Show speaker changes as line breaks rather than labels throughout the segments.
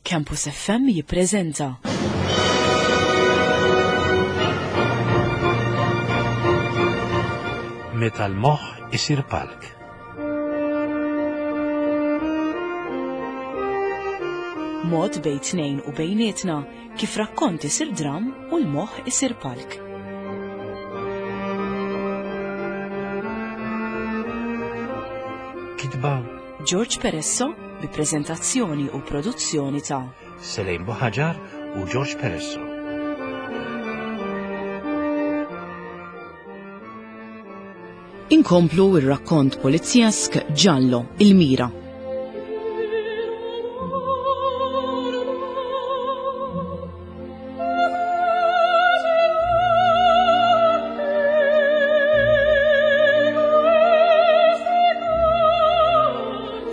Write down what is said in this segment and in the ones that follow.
Campus FM jippreżenta.
Meta l-moħħ isir palk.
Mod bejn tnejn u bejnietna kif rakkont isir dram u l-moħħ isir palk.
Kitba
George Peresso bi preżentazzjoni u produzzjoni ta'
Selejn Buħaġar u George Peresso.
Inkomplu ir-rakkont polizjesk Giallo, il-mira.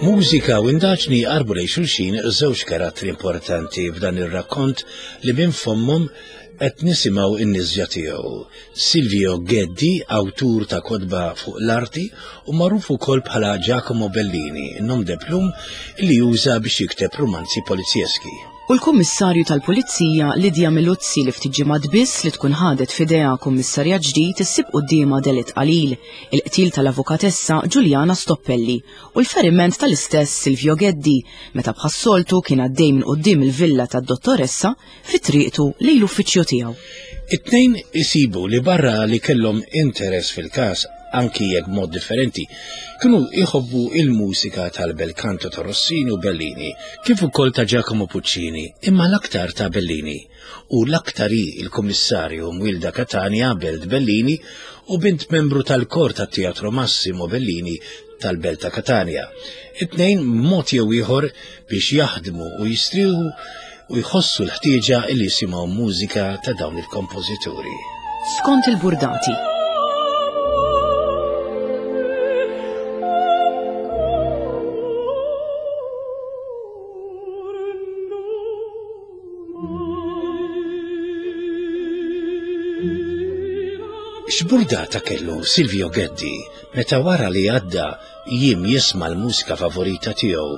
Mużika u indaġni jqarbu lejn xulxin żewġ karattri importanti f'dan ir-rakkont li minn fommhom qed nisimgħu n-nisġa tiegħu. Silvio Geddi, awtur ta' kotba fuq l-arti u magħruf ukoll bħala Giacomo Bellini, nom de plume li juża biex jikteb rumanzi polizjeski.
U l-Kummissarju tal-Pulizija Lydia Milluzzi li ftit ġimgħat biss li tkun ħadet f'idejha kummissarjat ġdid issib quddiemha delitt qalil, il-qtil tal-avukatessa Giuliana Stoppelli u l-feriment tal-istess Silvio Geddi meta bħas-soltu kien għaddej minn quddiem il-villa tad-dottoressa fi triqtu lejn l-uffiċċju tiegħu.
It-tnejn isibu li barra li kellhom interess fil-każ anki jekk b'mod differenti, kienu jħobbu il-mużika tal-bel canto ta' Rossini u Bellini, kif ukoll ta' Giacomo Puccini, imma l-aktar ta' Bellini. U l-aktar hi il-Kummissarju Mwilda Catania Belt Bellini u bint membru tal-kor tat-Teatro Massimo Bellini tal-Belt ta' Catania. It-tnejn mod jew ieħor biex jaħdmu u jistrieħu u jħossu l-ħtieġa li jisimgħu mużika ta' dawn il-kompożituri.
Skont il-burdati.
X'burdata kellu Silvio Geddi meta wara li għadda jiem jisma' l-mużika favorita tiegħu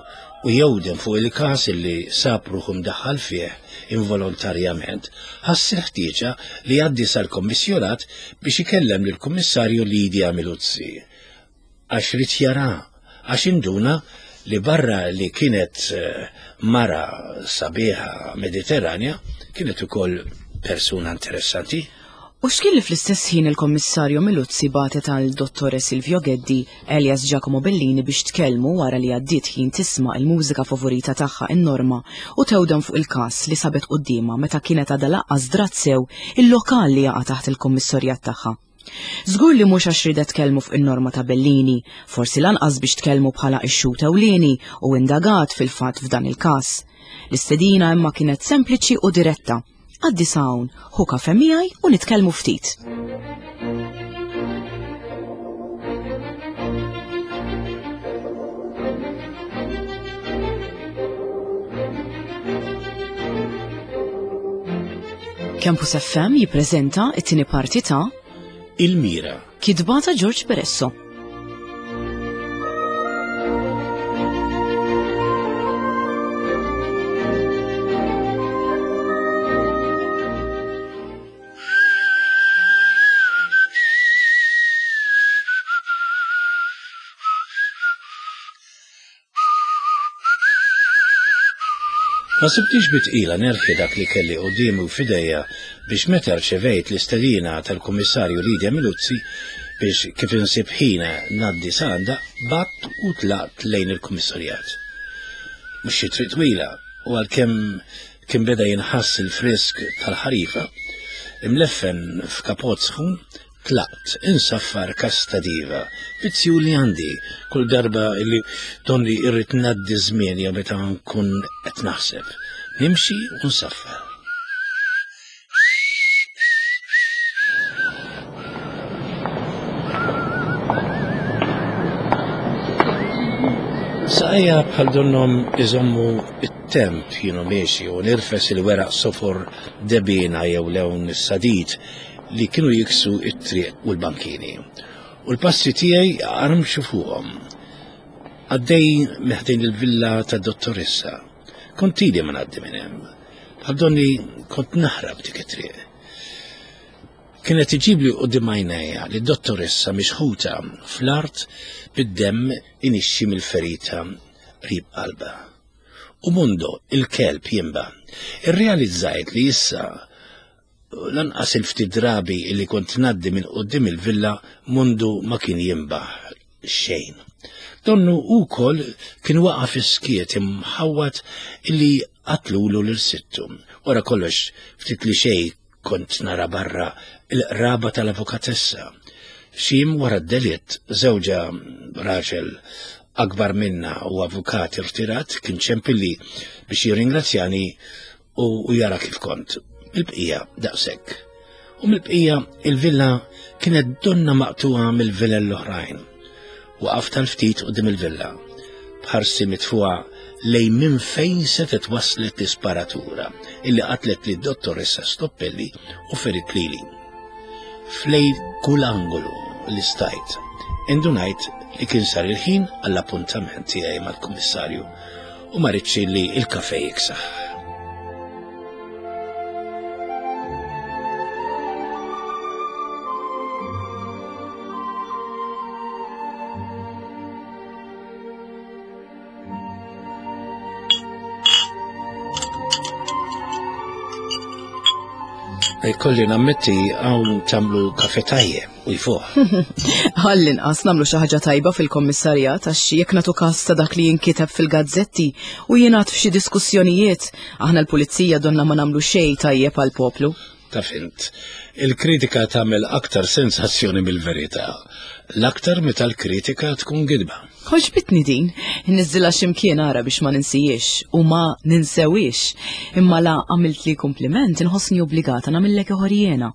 u jewden fuq il-każ li sab ruħu mdaħħal fih involontarjament, ħass il-ħtieġa li jgħaddi sal-Kommissjorat biex ikellem lill-Kummissarju Lydia Miluzzi. Għax ried jara, għax induna li barra li kienet eh, mara sabiħa Mediterranja, kienet ukoll persuna interessanti.
U x'kien li fl-istess ħin il-Kommissarju Miluzzi bagħtet għal Dottore Silvio Geddi, alias Giacomo Bellini biex tkellmu wara li għaddiet ħin tisma' il-mużika favorita tagħha in-Norma u tewdem fuq il-każ li sabet quddiemha meta kienet għadha laqqas drat sew il-lokal li jaqa' taħt il-kummissarjat tagħha. Żgur li mhux għax riedet tkellmu fuq in-Norma ta' Bellini, forsi lanqas biex tkellmu bħala ix-xhud ewlieni u indagat fil-fatt f'dan il-każ. L-istedina imma kienet sempliċi u diretta. Għaddi sa hawn, ħu kafe miegħi u nitkellmu ftit. Campus FM jippreżenta it-tieni parti ta'
Il-Mira.
Kitba ta' George Peresso.
Ma sibtix bi tqila nerħi dak li kelli quddiemi u f'idejja biex meta rċevejt l-istedina tal-Kummissarju Lydia Miluzzi biex kif insib ħin ngħaddi sa għandha, bgħadt u tlaqt lejn il-Kummissarjat. Mhux xi triq twila u għalkemm kien beda jinħass il-frisk tal-ħarifa, imleffen f'kapott sħun, Tlaqt insaffar kasta diva, vizzju li għandi kull darba li donni irrid ngħaddi żmien jew meta nkun qed naħseb. Nimxi u nsaffar. Saqajja bħal donnom iżommu it-temp jienu miexi u nirfes il-weraq sofor debina jew lewn is-sadid li kienu jiksu t-triq u l-bankini. U l-passi tiegħi armxu fuqhom. Għaddej meħdejn il-villa ta' dottoressa. Kont ili ma ngħaddi minn hemm. Bħal donni kont naħrab dik it-triq. Kienet iġibli quddiem għajnejja li d-dottoressa mixħuta fl-art bid-demm inixxi mill-ferita qrib qalbha. U Mundo, il-kelb jimba. Irrealizzajt li issa lanqas il-ftit drabi li kont ngħaddi minn quddiem il-villa Mundu ma kien jimbaħ xejn. Donnu wkoll kien waqa' fis-skiet imħawwad illi qatlulu lil sittu. Wara kollox ftit li xejn kont nara barra il-qraba tal-avukatessa. Xi jiem wara d-delitt, żewġha raġel akbar minna u avukat irtirat kien ċempilli biex jirringrazzjani u jara kif kont. Mill-bqija daqshekk. U mill-bqija il-villa kienet donna maqtuha mill-vilel l-oħrajn. Waqaft għal ftit quddiem il-villa. B'ħarsi mitfuha lejn minn fejn setgħet waslet l-isparatura illi qatlet lid dottoressa Stoppelli u ferit lili. Flej kull angolu li stajt, indunajt li kien sar il-ħin għall-appuntament tiegħi mal-kummissarju u ma ridx li il-kafe jiksaħ. Kolli nammetti hawn tagħmlu kafe tajjeb u jfuħ.
Għall-inqas nagħmlu xi ħaġa tajba fil-kommissarjat għax jekk nagħtu każ ta' dak li jinkiteb fil-gazzetti u jingħad f'xi diskussjonijiet, aħna l-pulizija donna ma nagħmlu xejn tajjeb għall-poplu.
Taf int, il-kritika tagħmel aktar sensazzjoni mill-verità, l-aktar meta l-kritika tkun gidba.
Għoġbitni din, inniżżilha x'imkien ara biex ma ninsihiex u ma ninsewhiex. Imma la għamiltli kumpliment inħossni obbligata nagħmillek ieħor jiena.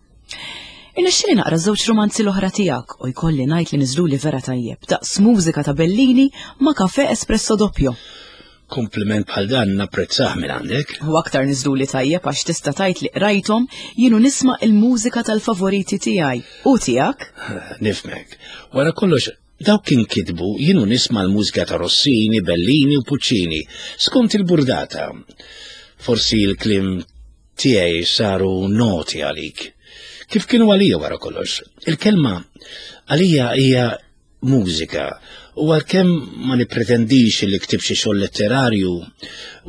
Irnexxieli naqra ż-żewġ rumanzi l-oħra tiegħek u jkolli ngħid li niżluli vera tajjeb, daqs mużika ta' Bellini ma' kafè espresso doppio.
Kumpliment bħal dan napprezzah minn għandek.
U aktar niżluli tajjeb għax tista' tgħid li qrajthom jien u nisma' il-mużika tal-favoriti tiegħi u tiegħek.
Nifhmek. Wara kollox, dawk inkitbu jien u nisma' l-mużika ta' Rossini, Bellini u Puccini, skont il-burdata. Forsi l-kliem tiegħi saru noti għalik. Kif kienu għalija wara kollox? Il-kelma għalija hija mużika u għalkemm ma nippretendix li ktib xi xogħol letterarju,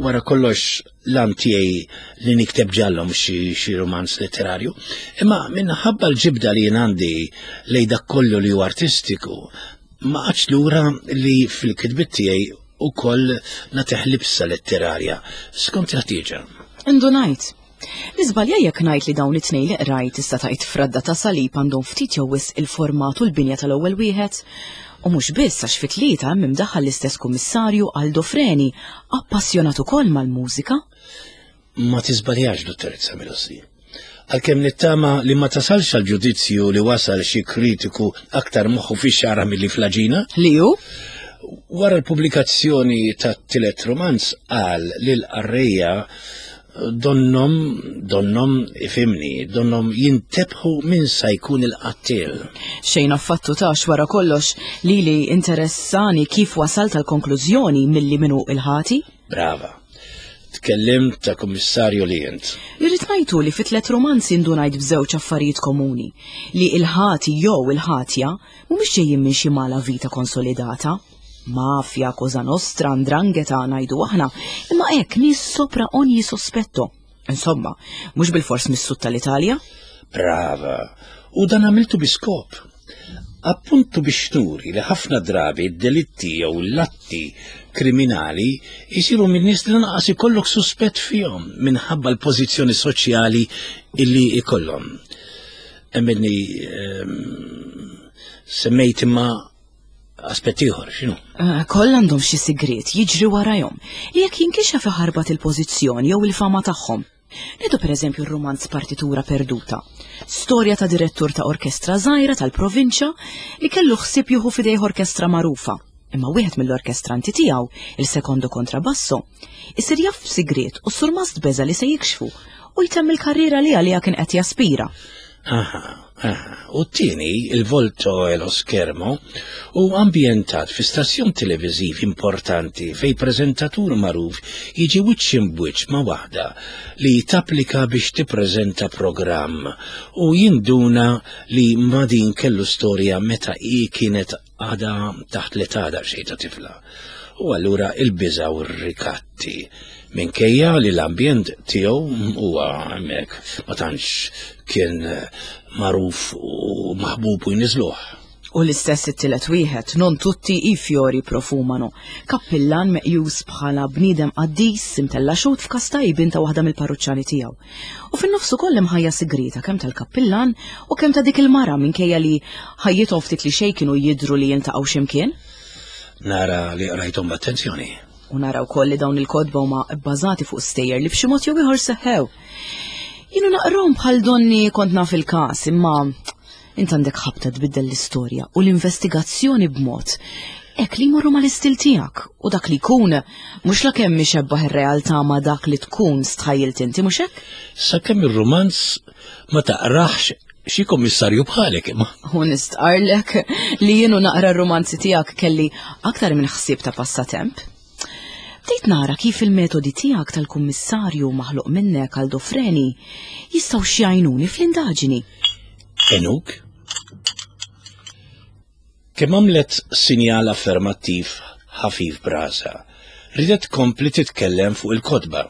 wara kollox l-għan tiegħi li nikteb ġallhom xi romanz letterarju, imma minħabba l-ġibda li jien għandi lejn dak kollu li hu artistiku, ma qgħadx lura li fil-kitbiet tiegħi ukoll nagħtih libsa letterarja skont il-ħtieġa.
Indunajt. Niżbalja jekk ngħid li dawn it-tnejn li qrajt tista' tgħid fradda ta' salib għandhom ftit jew wisq il-format u l-binja tal-ewwel wieħed? U mhux biss għax fit-tlieta hemm imdaħħal l-istess kummissarju Aldo Freni, appassjonat ukoll mal-mużika.
Ma tiżbaljax, Dottoressa Milossi. Għalkemm nittama li ma tasalx għal ġudizzju li wasal xi kritiku aktar moħħu fix-xagħra milli fl-għaġina.
Li hu?
Wara l-pubblikazzjoni tat-tielet romanz qal lil qarrejja Donnhom, donnhom, ifhimni, donnhom jintebħu min sa jkun il-qattiel.
Xejn affattu tax wara kollox lili interessani kif wasalt għall-konklużjoni milli min hu il-ħati.
Brava. Tkellimt ta' kummissarju li int.
Li rrid ngħid hu li fi tlett rumanzi ndunajt b'żewġ affarijiet komuni, li il-ħati jew il-ħatja mhumiex ġejjin minn xi mala vita konsolidata. Mafja, Cosa Nostra, 'Ndrangheta, ngħidu aħna, imma hekk nies sopra ogni sospetto. Insomma, mhux bilfors mis-sud tal-Italja.
Brava, u dan għamiltu bi skop. Appuntu biex nuri li ħafna drabi d-delitti jew l-atti kriminali jisiru minn nies li lanqas ikollok suspett fihom minħabba l-pożizzjoni soċjali illi ikollhom. Emminni ehm, semmejt imma Aspett ieħor, x'inhu?
Eh, kollha għandhom xi sigriet jiġri warajhom li jekk jinkixef iħarbat il-pożizzjoni jew il-fama tagħhom. Nieħdu pereżempju r-rumanz Partitura Perduta. Storja ta' direttur ta' orkestra żgħira tal-provinċja li kellu ħsieb jieħu f'idejh orkestra magħrufa. Imma wieħed mill-orkestranti tiegħu, il-sekondo kontrabasso, isir jaf b'sigriet u s-surmast beża li se jikxfu u jtemm il-karriera li għaliha kien qed jaspira.
Aha, aha. U t-tieni, il-Volto e lo Schermo, hu ambjentat fi stazzjon televiżiv importanti fej preżentatur magħruf jiġi wiċċ imbwiċċ ma' waħda li tapplika biex tippreżenta programm u jinduna li ma' din kellu storja meta hi kienet għadha taħt l-età daqsxejn ta' tifla. U allura il-biża' u r-rikatti. Minkejja li l-ambjent tiegħu huwa hemmhekk ma tantx kien magħruf u maħbub u jniżluh.
U l-istess it-tielet wieħed, non tutti i fiori profumano. Kappillan meqjus bħala bniedem qaddis imtella' xhud f'każ tajbin ta' waħda mill-parruċċani tiegħu. U fin-nofs ukoll hemm ħajja sigrieta kemm tal-kappillan u kemm ta' dik il-mara minkejja li ħajjithom ftit li xejn kienu jidhru li jiltaqgħu x'imkien.
Nara li qrajthom b'attenzjoni.
U nara wkoll li dawn il-kotba huma bbażati fuq stejjer li b'xi mod jew ieħor seħħew. Jienu naqrom bħal donni kont naf il-każ, imma int għandek ħabta tbiddel l-istorja u l-investigazzjoni b'mod hekk li jmorru mal-istil tiegħek u dak li jkun mhux la kemm ixebbaħ ir-realtà ma' dak li tkun stħajjilt inti mhux hekk?
Sakemm ir-rumanz ma taqraħx xi kommissarju bħalek imma.
U nistqarlek li jienu naqra r-rumanzi tiegħek kelli aktar minn ħsieb ta' passatemp. Bdejt nara kif il-metodi tiegħek tal-kummissarju maħluq minnek għal Dofreni jistgħu xjajnuni fl-indaġini.
Enuk? Kemm għamlet sinjal affermattiv ħafif brasa, ridet tkompli titkellem fuq il-kotba.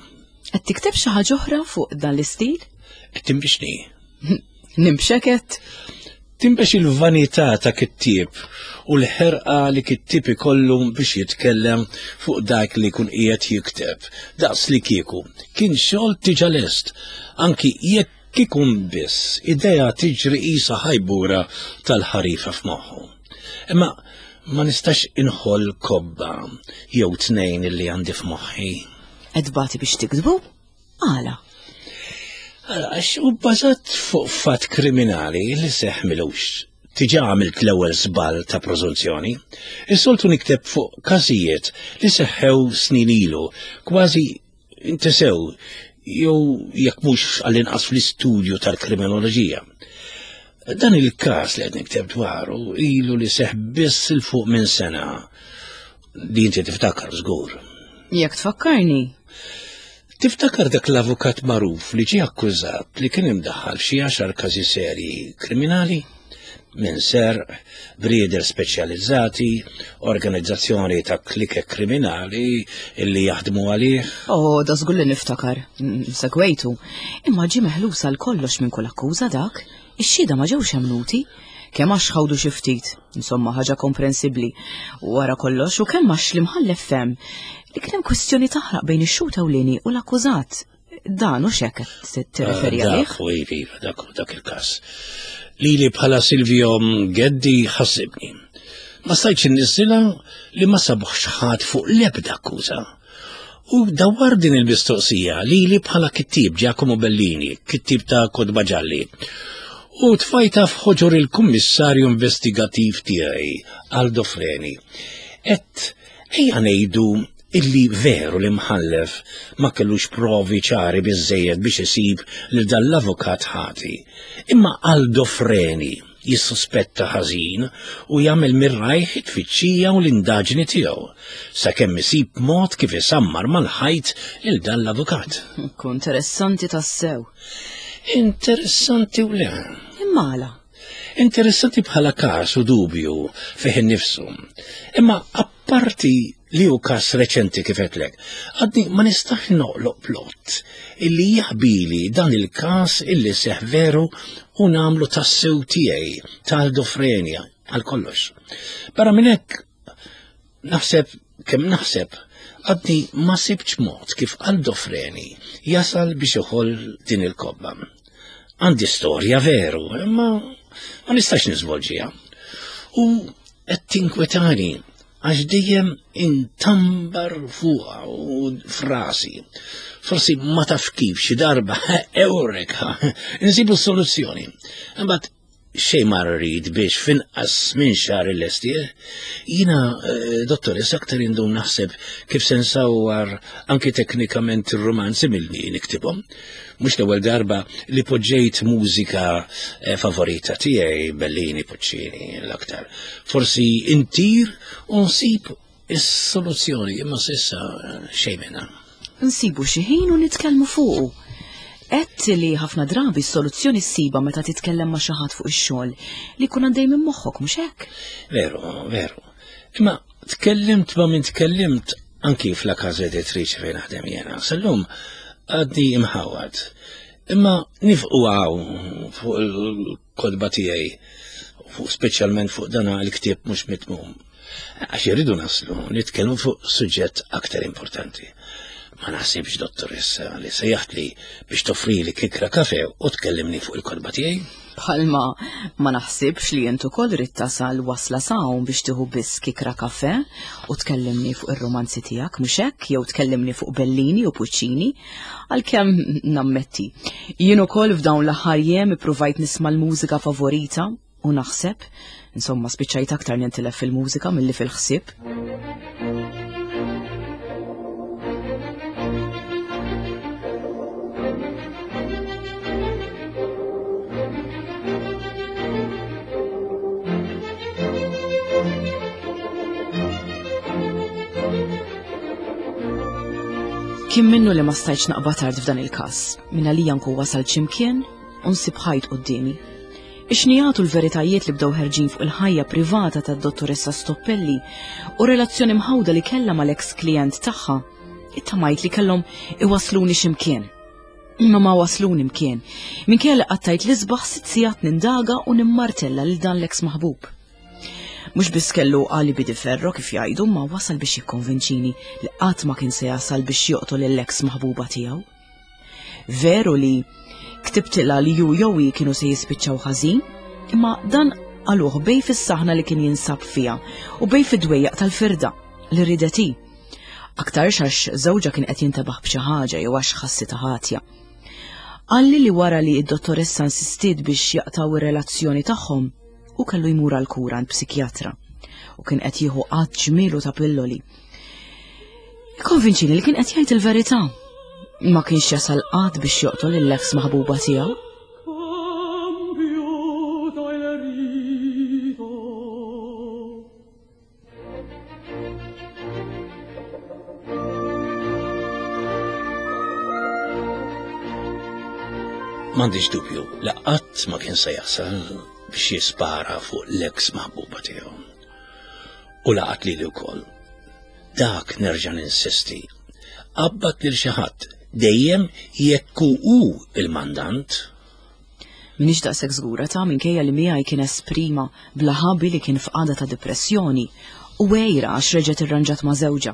Qed tikteb xi ħaġa oħra fuq dan l-istil?
Qed timbixni.
Nimbxeket?
Timbex il-vanità ta' kittieb u l-ħerqa li kittieb ikollu biex jitkellem fuq dak li jkun qiegħed jikteb, daqs li kieku kien xogħol tiġa lest, anki jekk ikun biss idea tiġri qisha ħajbura tal-ħarifa f'moħħu. Imma ma nistax inħoll kobba jew tnejn illi għandi f'moħħi.
Qed tbati biex tiktbu? Għala?
Għax u bbażat fuq fatt kriminali li seħ milux. Tiġa għamilt l-ewwel żball ta' prożunzjoni. Is-soltu nikteb fuq każijiet li seħħew snin ilu, kważi intesew jew jekk mhux għall-inqas fl-istudju tal-kriminoloġija. Dan il-każ li qed nikteb dwaru ilu li seħ biss il fuq minn sena li inti tiftakar żgur.
Jekk tfakkarni.
Tiftakar dak l-avukat magħruf li ġie akkużat li kien imdaħħal f'xi għaxar każi serji kriminali? Minn serq, brieder speċjalizzati, organizzazzjoni ta' klikek kriminali illi jaħdmu għalih.
Oh, da żgur li niftakar. Segwejtu. Imma ġie meħlus għal kollox minn kull akkuża dak. Ix-xhieda ma ġewx emmnuti. Kemm għax ħawdu xi ftit, insomma ħaġa komprensibbli. Wara kollox u kemm għax l-imħallef fehem li kien hemm kwistjoni taħraq bejn ix-xhud ewlieni u l-akkużat. Dan u xek qed tirreferi
ah,
għalih?
Dak, iva, iva, dak, dak il-każ. Lili bħala Silvio Geddi ħassibni. Ma stajtx inniżżilha li ma sabuħx ħadd fuq l-ebda akkuża. U dawwar din il-mistoqsija lili bħala kittieb Giacomo Bellini, kittieb ta' Kotba Ġalli. U tfajta f'ħoġor il-kummissarju investigattiv tiegħi, Aldo Freni. Et ejja ngħidu illi veru li mħallef ma kellux provi ċari biżejjed biex isib lil dan l-avukat ħati. Imma Aldo Freni jissuspetta ħażin u jagħmel mir-rajh it-tfittxija u l-indaġni tiegħu, sakemm isib mod kif isammar mal-ħajt lil dan l-avukat.
Kun interessanti tassew.
Interessanti u le.
Imma għala?
Interessanti bħala każ u dubju fih innifsu. Imma apparti li hu każ reċenti kif għedtlek, għadni ma nistax noqloq plot illi jaħbili dan il-każ illi seħ veru u nagħmlu tassew tiegħi tal-dofrenja għal kollox. Barra minn hekk naħseb kemm naħseb għadni ma sibtx mod kif Aldofreni jasal biex iħoll din il-kobba. Għandi storja veru, imma ma nistax niżvolġiha. U qed tinkwetani għax dejjem intambar fuqha u frasi. Forsi ma taf kif xi darba eureka, insibu s-soluzzjoni. Imbagħad xejn ma rrid biex finqas minn xahar illestih. Jiena, eh, dottoressa, aktar indum naħseb kif se nsawwar anki teknikament ir-romanzi milli niktibhom. Mhux l-ewwel darba li poġġejt mużika eh, favorita tiegħi Bellini, Puccini l-aktar. Forsi intir u nsib is-soluzzjoni imma s'issa eh, xejn minnha.
Nsibu xi ħin u nitkellmu fuqu. Għedt li ħafna drabi s-soluzzjoni ssiba meta titkellem ma' xi ħadd fuq ix-xogħol li jkun għaddej minn moħħok mhux hekk?
Veru, veru. Imma tkellimt ma' min tkellimt anki fla casa editrice fejn naħdem jiena. Sal-lum għadni imħawad. Imma nifqu hawn fuq il-kodba tiegħi, fuq speċjalment fuq dana l-ktieb mhux mitmum. Għax irridu naslu nitkellmu fuq suġġett aktar importanti. Ma naħsibx, dottoressa, li sejjaħtli biex toffrili kikra kafe u tkellimni fuq il-kodba tiegħi.
Bħalma ma naħsibx li int ukoll ridt tasal wasla s'hawn biex tieħu biss kikra kafe u tkellimni fuq ir-romanzi tiegħek, mhux hekk? Jew tkellimni fuq Bellini u Puccini, għalkemm nammetti. Jien ukoll f'dawn l-aħħar jiem ippruvajt nisma' l-mużika favorita u naħseb, insomma spiċċajt aktar nintilef fil-mużika milli fil-ħsieb. Kien minnu li ma stajtx naqbad tard f'dan il-każ. Minna li janku wasal x'imkien u nsib ħajt quddiemi. Ix-xnigħat u l-veritajiet li bdew ħerġin fuq il-ħajja privata tad-Dottoressa Stoppelli u r-relazzjoni mħawda li kellha mal-eks klijent tagħha, ittamajt li kellhom iwassluni xi mkien. Imma ma wasluni mkien, minkejja li qattajt l-isbaħ sitt sigħat nindaga u nimmartella lil dan l-eks maħbub. Mhux biss kellu alibi di ferro kif jgħidu, ma wasal biex jikkonvinċini li qatt ma kien se jasal biex joqtol lill-eks maħbuba tiegħu. Veru li ktibtilha li ju jew hi kienu se jispiċċaw ħażin, imma dan qaluh bej fis-saħna li kien jinsab fiha u bej fid-dwejjaq tal-firda li ridet hi. Aktarx għax żewġha kien qed jintebaħ b'xi ħaġa jew għax ħassitha ħatja. Qalli li wara li d-dottoressa insistiet biex jaqtgħu ir-relazzjoni tagħhom, hu kellu jmur għal kura għand psikjatra u kien qed jieħu qatt ġmielu ta' pilloli. Ikkonvinċini li kien qed jgħid il-verità. Ma kienx jasal qatt biex joqtol lill-eks maħbuba tiegħu.
M'għandix dubju li qatt ma kien se jasal biex jispara fuq l-eks maħbuba tiegħu. U laqat lili wkoll. Dak nerġa' ninsisti. Qabbad lil xi ħadd dejjem jekk hu il-mandant.
Minix daqshekk żgura ta' minkejja li miegħi kien esprima bla ħabi li kien f'qagħda ta' depressjoni u għejra għax reġgħet irranġat ma' żewġha.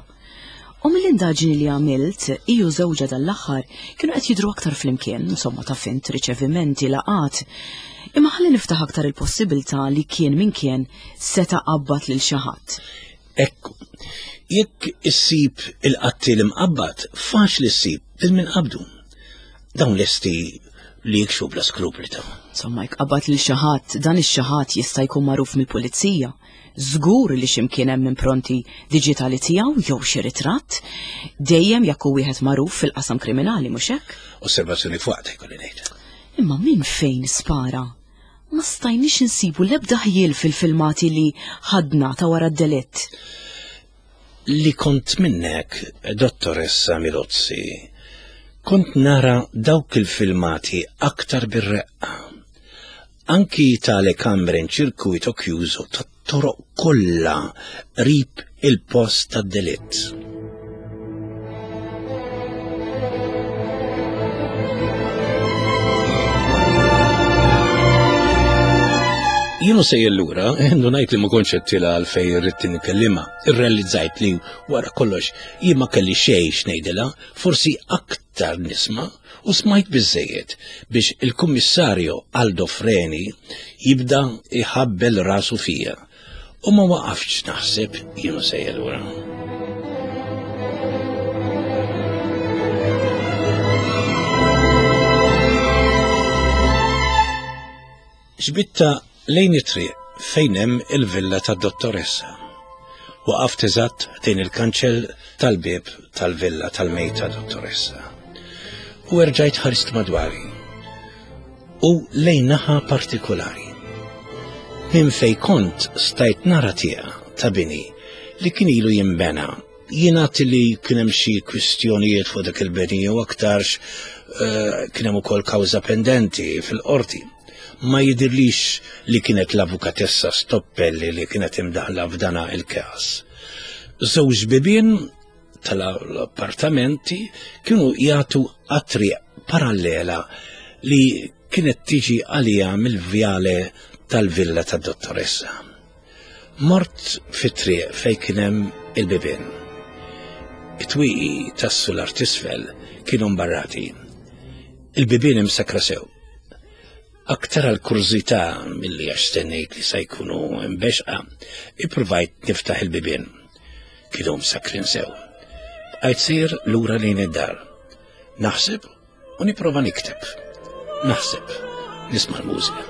U mill-indaġni li għamilt, hi u żewġha dan l-aħħar kienu qed jidhru aktar flimkien, insomma ta' fint, riċevimenti, laqgħat. Imma ħalli niftaħ aktar il-possibilità li kien min kien seta' qabbad lil xi ħadd.
Ekku, jekk issib il-qattiel imqabbad, faċli ssib lil min qabdu. Dawn lesti li jikxfu bla skrupli ta'.
Insomma, jekk qabbad lil xi ħadd, dan ix-xi ħadd jista' jkun magħruf mill-pulizija. Żgur li xi mkien hemm impronti diġitali tiegħu jew xi ritratt, dejjem jekk hu wieħed magħruf fil-qasam kriminali, mhux hekk?
Osservazzjoni f'waqtha jkolli ngħid.
Imma minn fejn spara? Ma stajniex insibu l-ebda ħjiel fil-filmati li ħadna ta' wara d-delitt.
Li kont minnek, Dottoressa Milozzi, kont nara dawk il-filmati aktar bir-reqqa. Anki tale camere in circuito chiuso tat-toroq kollha qrib il-post tad-delitt. Jien u sejjer lura, indunajt li ma kontx qed tilha għalfejn irrid inkellimha. Irrealizzajt li wara kollox jien ma kelli xejn x'ngħidilha, forsi aktar nisma' u smajt biżżejjed biex il-Kummissarju Aldo Freni jibda jħabbel rasu fija u ma waqaftx naħseb jien u sejjer lura. Xbitta lejn it-triq fejn hemm il-villa tad-dottoressa. Waqaft eżatt ħdejn il-kanċell tal-bieb tal-villa tal-mejta dottoressa. U erġajt ħarist madwari. U lejn naħa partikolari. Minn fej kont stajt nara tieqa ta' bini li kien ilu jimbena Jingħad li kien hemm xi kwistjonijiet fuq dak il-beni jew aktarx eh, kien hemm ukoll kawża pendenti fil-qorti. Ma jidirlix li kienet l-avukatessa Stoppelli li kienet imdaħla f'dana il-każ. Żewġ bibien tal-appartamenti kienu jagħtu għat-triq parallela li kienet tiġi għalija mill-vjale tal-villa tad-dottoressa. Mort fit-triq fejn kien hemm il-bibien. It-twieqi tas-sular t'isfel kienu mbarrati. Il-bibien imsakkra sew. Aktar għal kurżità milli għax stennejt li se jkunu mbexqa, ippruvajt niftaħ il-bibien. Kienu msakkrin sew. Bqajt sejjer lura lejn id-dar. Naħseb u nipprova nikteb. Naħseb, nisma' l-mużika.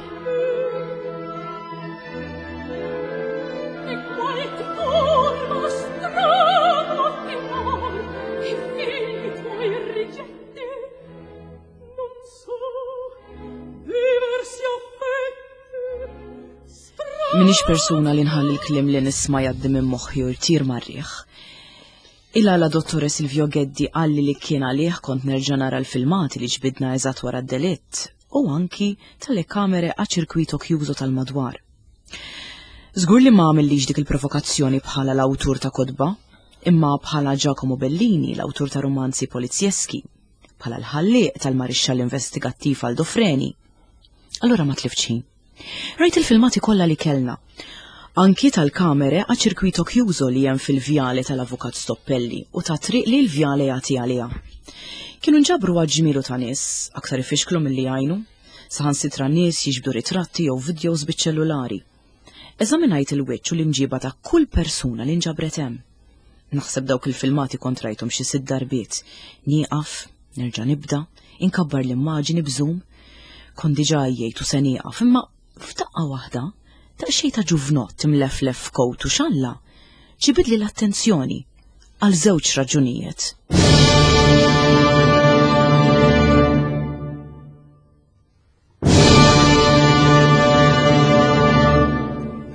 Minix persuna li nħalli l-klim li nisma jaddi minn moħħi u jtir marriħ. Il-għala Dottore Silvio Geddi qalli li kien għalih kont nerġa' nara l-filmati li ġbidna eżatt wara d-delitt u anki telekamere a circuito chiuso tal-madwar. Żgur li ma għamillix dik il-provokazzjoni bħala l-awtur ta' kotba, imma bħala Giacomo Bellini, l-awtur ta' romanzi polizjeski, bħala l-ħallieq tal-marixxall investigattiv Aldo Freni. Allura ma tliftx ħin. Rajt il-filmati kollha li kellna. Anki tal-kamere a circuito chiuso li hemm fil-vjale tal-Avukat Stoppelli u ta' triq li l-vjale jagħti għaliha. Kienu nġabru għadd ġmielu ta' nies, aktar ifixklu milli jgħinu, saħansitra nies jiġbdu ritratti jew vidjows biċ-ċellulari. Eżaminajt il-wiċċ u l-imġiba ta' kull persuna li nġabret hemm. Naħseb dawk il-filmati kont rajthom xi sitt darbiet. Nieqaf, nerġa' nibda, inkabbar l-immaġini b'zoom. Kont diġà għajjejt u se nieqaf, imma f'daqqa waħda, daqsxejn ta' ġuvnott imleflef f'kowt u xalla, ġibidli l-attenzjoni għal żewġ raġunijiet.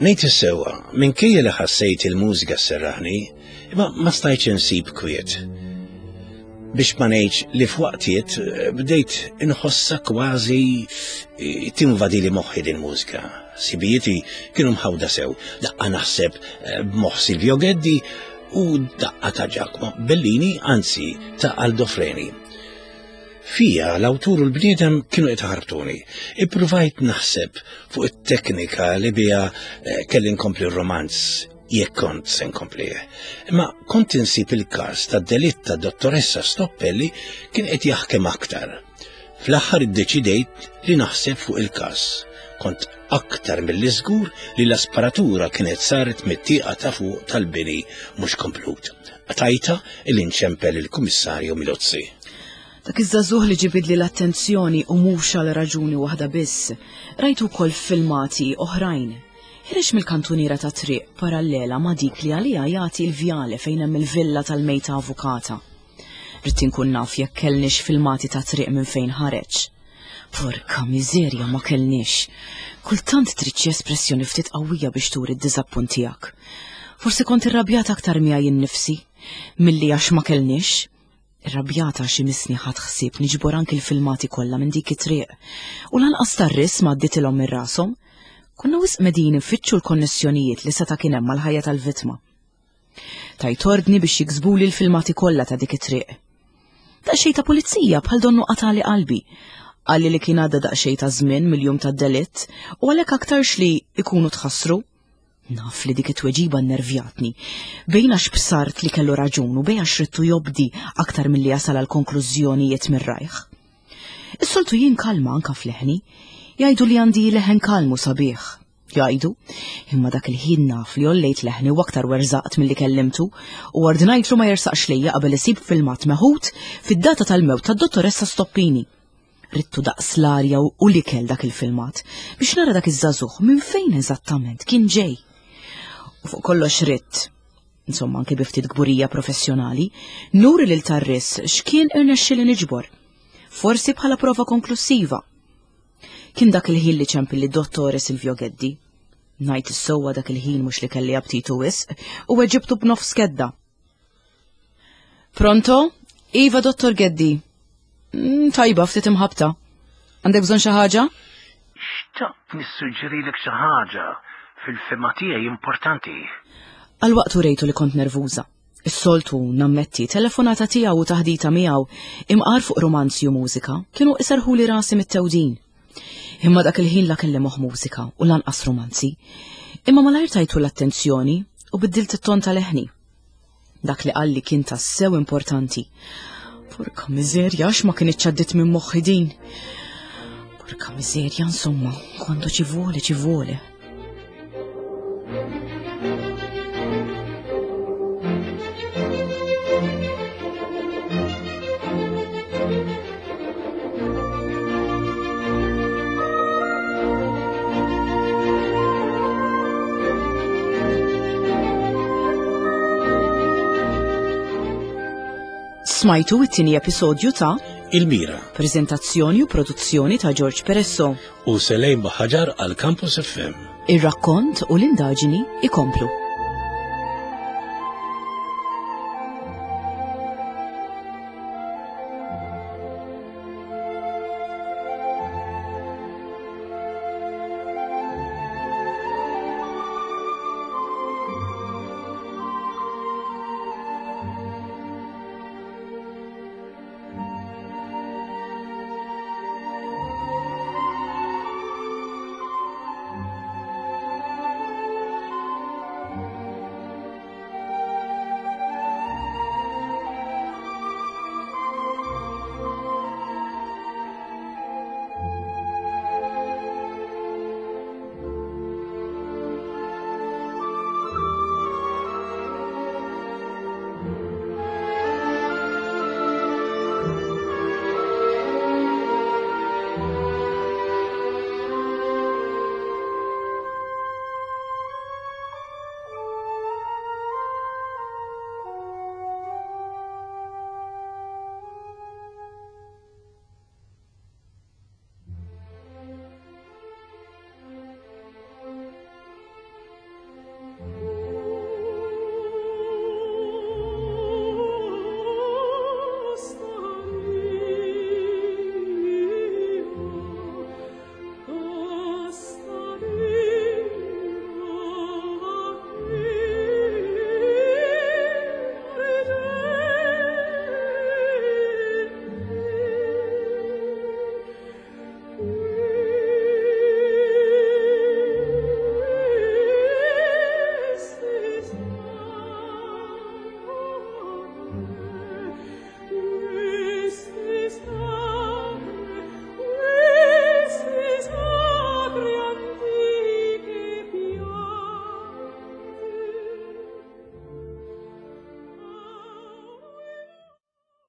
Ngħid is-sewwa, minkejja li ħassejt il-mużika sserraħni, imma ma stajtx insib kwiet. Biex ma ngħidx li f'waqtiet eh, bdejt inħossha kważi eh, tinvadili moħħi din mużika. Sibijieti kienu mħawda sew, daqqa naħseb eh, b'moħħ Silvio Geddi u daqqa ta' Giacomo Bellini, anzi ta' Aldo Freni. Fija, l-awtur u l-bniedem kienu qed iħarbtuni. Ippruvajt naħseb fuq it-teknika li biha eh, kelli nkompli r-romanz jekk kont se nkomplih. Imma kont insib il-każ tad-delitt ta' dottoressa Stoppelli kien qed jaħkem aktar. Fl-aħħar iddeċidejt li naħseb fuq il-każ. Kont aktar milli żgur li l-asparatura kienet saret mit-tieqa ta' fuq tal-bini mhux komplut. Qtajtha illi nċempel il-Kummissarju Milozzi.
Dak iż-żagħżugħ li ġibidli l-attenzjoni u mhux għal raġuni waħda biss, rajtu wkoll f'filmati oħrajn. Ħireġ mill-kantuniera ta' triq parallela ma' dik li għaliha jagħti l-vjale fejn hemm il-villa tal-mejta avukata. Ridt inkun naf jekk kellniex filmati ta' triq minn fejn ħareġ. Porka miżerja ma kellniex. Kultant trid xi espressjoni ftit qawwija biex turi d-diżappunt tiegħek. Forsi kont irrabjat aktar miegħi innifsi milli għax ma kellniex. Irrabjata għax imissni ħadt ħsieb niġbor anki l-filmati kollha minn dik it-triq. U lanqas tar-ris ma għadditilhom minn rashom. Konna wisq medin infittxu l-konnessjonijiet li seta' kien hemm mal-ħajja tal-vittma. Tajt ordni biex jiksbuli l-filmati kollha ta' dik it-triq. Daqsxejn ta' pulizija bħal donnu qatali qalbi. Qalli li kien għadda daqsxejn ta' żmien mill-jum tad-delitt u għalhekk aktarx li jkunu tħassru. Naf li dik it-tweġiba nnervjatni. Bejn għax bsart li kellu raġun u bejn għax ridtu jobdi aktar milli jasal għal konklużjonijiet mir-rajh. Is-soltu jien kalma anka f'leħni. Jgħidu li għandi leħen kalm u sabiħ. Jgħidu, imma dak il-ħin naf li għollejt leħni u aktar werżaqt milli kellimtu u ordnajtlu ma jersaqx lejja qabel isib filmat meħud fid-data tal-mewt tad-dottoressa Stoppini. Rittu daqs l-arja u l-ikel dak il-filmat biex nara dak iż-żagħżugħ minn fejn eżattament kien ġej. U fuq kollox ridt, insomma anke bi ftit kburija professjonali, nuri lil tar-ris x'kien irnexxieli niġbor. Forsi bħala prova konklusiva. Kien dak il-ħin li ċempilli Dottore Silvio Geddi. Ngħid is-sewwa dak il-ħin mhux li kelli aptitu wisq u weġibtu b'nofs kedda. Pronto? Iva, Dottor Geddi. Mm, tajba, ftit imħabta. Għandek bżonn xi ħaġa?
Xtaqt nissuġġerilek xi ħaġa fil-fema tiegħi importanti.
Għal waqt urejtu li kont nervuża. Is-soltu, nammetti, telefonata tiegħu u taħdita miegħu imqar fuq romanzi u mużika kienu iserħuli rasi mit-tewdin. Imma dak il-ħin la kelli moħ mużika u lanqas romanzi. Imma malajr tajtu l-attenzjoni u biddilt it-ton tal-eħni. Dak li qalli kien tassew importanti. Porka miżerja, għax ma kienitx għaddit minn moħħi din. Porka miżerja, insomma, quando ci vuole, ci vuole. Smajtu it-tieni episodju ta'
Il-Mira.
Prezentazzjoni u produzzjoni ta' George Peresso.
U Selejn Baħaġar għal Campus FM.
Ir-rakkont u l-indaġini ikomplu.